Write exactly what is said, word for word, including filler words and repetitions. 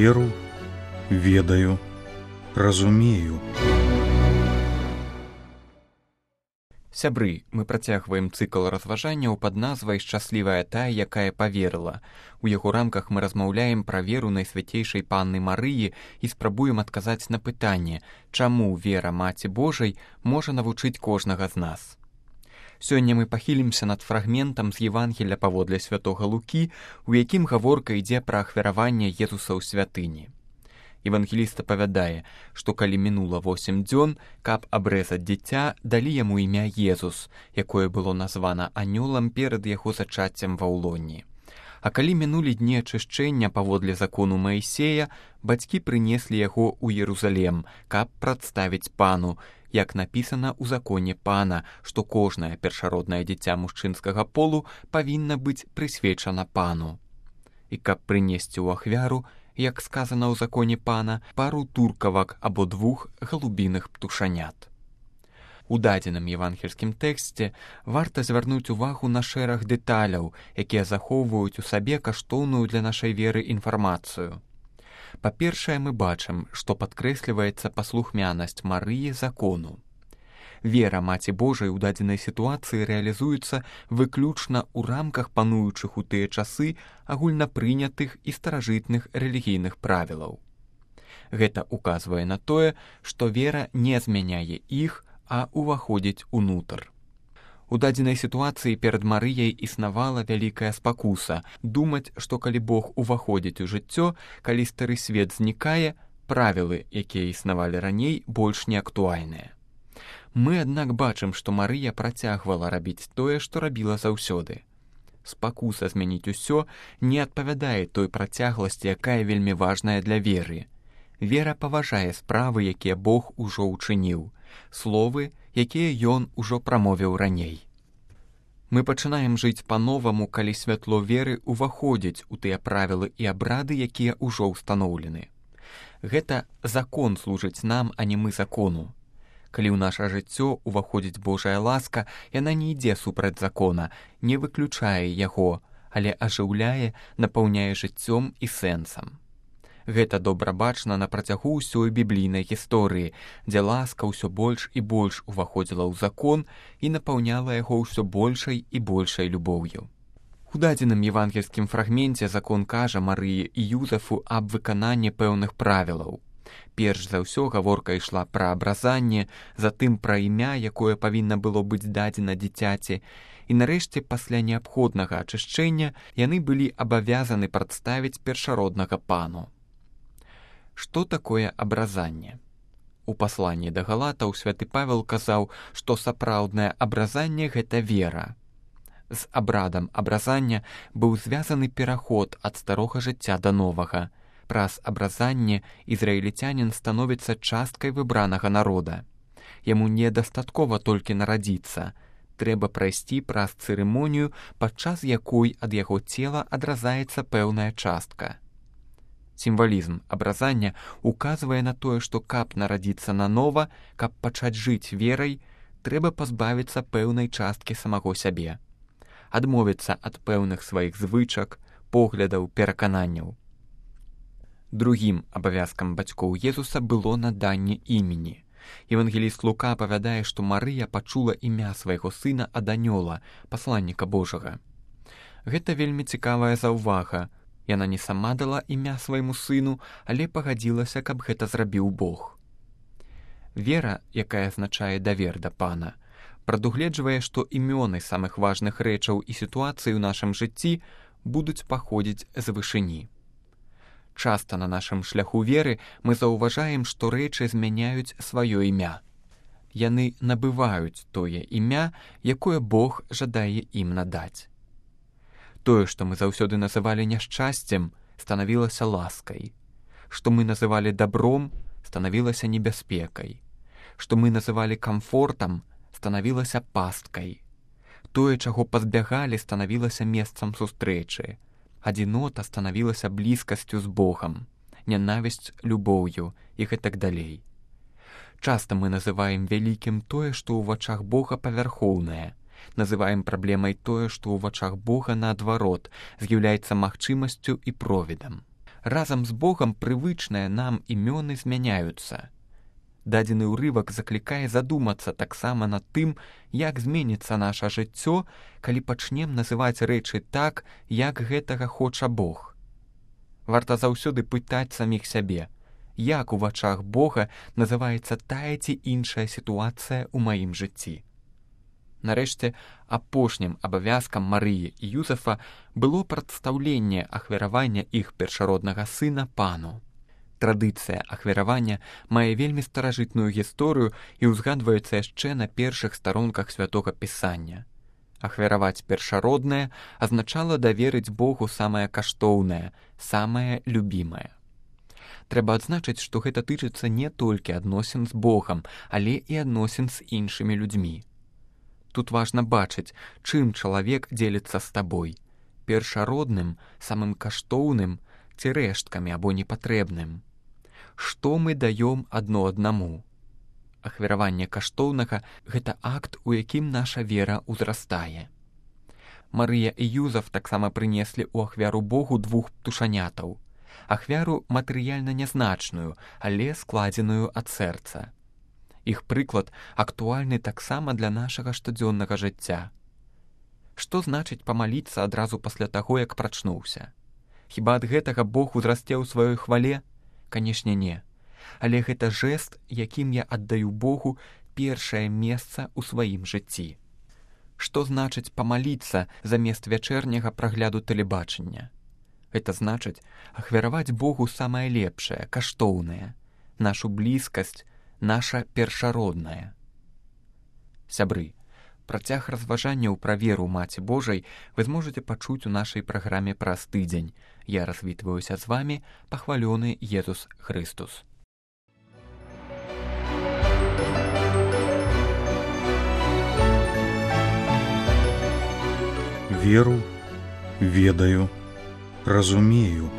веру, ведаю, разумею. Сябры, мы працягваем цыкл разважанняў пад назвай «Шчаслівая тая, якая паверыла». У яго рамках мы размаўляем пра веру Найсвяцейшай Панны Марыі і спрабуем адказаць на пытанне, чаму вера Маці Божай можа навучыць кожнага з нас. Сёння мы пахілімся над фрагментам з Евангелля паводле святога Лукі, у якім гаворка ідзе пра ахвяраванне Езуса ў святыні. Евангеліст апавядае, што калі мінула восем дзён, каб абрэзаць дзіця, далі яму імя Езус, якое было названа анёлам перад яго зачаццем ва ўлонні. А калі мінулі дні ачышчэння паводле закону Маісея, бацькі прынеслі яго ў Ерузалем, каб прадставіць пану, як напісана ў законе пана, што кожнае першароднае дзіця мужчынскага полу павінна быць прысвечана пану. І каб прынесці ў ахвяру, як сказана ў законе пана, пару туркавак або двух галубіных птушанят. У дадзеным евангельскім тэксце варта звярнуць увагу на шэраг дэталяў, якія захоўваюць у сабе каштоўную для нашай веры інфармацыю. Па-першае, мы бачым, што падкрэсліваецца паслухмянасць Марыі закону. Вера Маці Божай у дадзенай сітуацыі рэалізуецца выключна ў рамках пануючых у тыя часы агульнапрынятых і старажытных рэлігійных правілаў. Гэта указвае на тое, што вера не змяняе іх, а ўваходзіць унутр. У дадзенай сітуацыі перад Марыяй існавала вялікая спакуса думаць, што калі Бог уваходзіць у жыццё, калі стары свет знікае, правілы, якія існавалі раней, больш не актуальныя. Мы, аднак, бачым, што Марыя працягвала рабіць тое, што рабіла заўсёды. Спакуса змяніць усё не адпавядае той працягласці, якая вельмі важная для веры. Вера паважае справы, якія Бог ужо ўчыніў, словы, якія ён ужо прамовіў раней. Мы пачынаем жыць па-новаму, калі святло веры ўваходзіць у тыя правілы і абрады, якія ўжо ўстаноўлены. Гэта закон служыць нам, а не мы закону. Калі ў наша жыццё ўваходзіць Божая ласка, яна не ідзе супраць закона, не выключае яго, але ажыўляе, напаўняе жыццём і сэнсам. Гэта добра бачна на працягу ўсёй біблійнай гісторыі, дзе ласка ўсё больш і больш уваходзіла ў закон і напаўняла яго ўсё большай і большай любоўю. У дадзеным евангельскім фрагменце закон кажа Марыі і Юзафу аб выкананні пэўных правілаў. Перш за ўсё гаворка ішла пра абразанне, затым пра імя, якое павінна было быць дадзена дзіцяці, і нарэшце пасля неабходнага ачышчэння яны былі абавязаны прадставіць першароднага пану. Што такое абразанне? У пасланні да галатаў святы Павел казаў, што сапраўднае абразанне – гэта вера. З абрадам абразання быў звязаны пераход ад старога жыцця да новага. Праз абразанне ізраільцянін становіцца часткай выбранага народа. Яму недастаткова толькі нарадзіцца. Трэба прайсці праз цырымонію, падчас якой ад яго цела адразаецца пэўная частка. Сімвалізм абразання указвае на тое, што каб нарадзіцца нанова, каб пачаць жыць верай, трэба пазбавіцца пэўнай часткі самого сябе. Адмовіцца ад пэўных сваіх звычак, поглядаў, перакананняў. Другім абавязкам бацькоў Езуса было наданне імені. Евангеліст Лука апавядае, што Марыя пачула імя свайго сына ад анёла, пасланніка Божага. Гэта вельмі цікавая заўвага. Яна не сама дала імя свайму сыну, але пагадзілася, каб гэта зрабіў Бог. Вера, якая азначае давер да пана, прадугледжвае, што імёны самых важных рэчаў і сітуацый у нашым жыцці будуць паходзіць з вышыні. Часта на нашым шляху веры мы заўважаем, што рэчы змяняюць сваё імя. Яны набываюць тое імя, якое Бог жадае ім надаць. Тое, што мы заўсёды называлі няшчасцем, станавілася ласкай. Што мы называлі дабром, станавілася небяспекай. Што мы называлі камфортам, станавілася пасткай. Тое, чаго пазбягалі, станавілася месцам сустрэчы. Адзінота станавілася блізкасцю з Богам, нянавісць любоўю і гэтак далей. Часта мы называем вялікім тое, што ў вачах Бога павярхоўнае, называем праблемай тое, што ў вачах Бога наадварот з'яўляецца магчымасцю і провідам. Разам з Богам прывычныя нам імёны змяняюцца. Дадзены ўрывак заклікае задумацца таксама над тым, як зменіцца наша жыццё, калі пачнем называць рэчы так, як гэтага хоча Бог. Варта заўсёды пытаць саміх сябе, як у вачах Бога называецца тая ці іншая сітуацыя ў маім жыцці. Нарэшце, апошнім абавязкам Марыі і Юзефа было прадстаўленне ахвяравання іх першароднага сына пану. Традыцыя ахвяравання мае вельмі старажытную гісторыю і ўзгадваецца яшчэ на першых старонках святога пісання. Ахвяраваць першароднае азначала даверыць Богу самае каштоўнае, самае любімае. Трэба адзначыць, што гэта тычыцца не толькі адносін з Богам, але і адносін з іншымі людзьмі. Тут важна бачыць, чым чалавек дзеліцца з табой – першародным, самым каштоўным ці рэшткамі або непатрэбным. Што мы даём адно аднаму? Ахвяраванне каштоўнага – гэта акт, у якім наша вера ўзрастае. Марыя і Юзеф таксама прынеслі ў ахвяру Богу двух птушанятаў. Ахвяру матэрыяльна нязначную, але складзеную ад сэрца. Іх прыклад актуальны таксама для нашага штодзённага жыцця. Што значыць памаліцца адразу пасля таго, як прачнуўся? Хіба ад гэтага Бог узрасце ў сваёй хвале? Канешне, не. Але гэта жэст, якім я аддаю Богу першае месца ў сваім жыцці. Што значыць памаліцца замест вячэрняга прагляду тэлебачання? Гэта значыць ахвяраваць Богу самае лепшае, каштоўнае, нашу блізкасць, наша першародная. Сябры, працяг разважанняў пра веру Маці Божай вы зможаце пачуць у нашай праграме праз тыдзень. Я развітваюся з вамі, пахвалёны Езус Хрыстус. Веру, ведаю, разумею.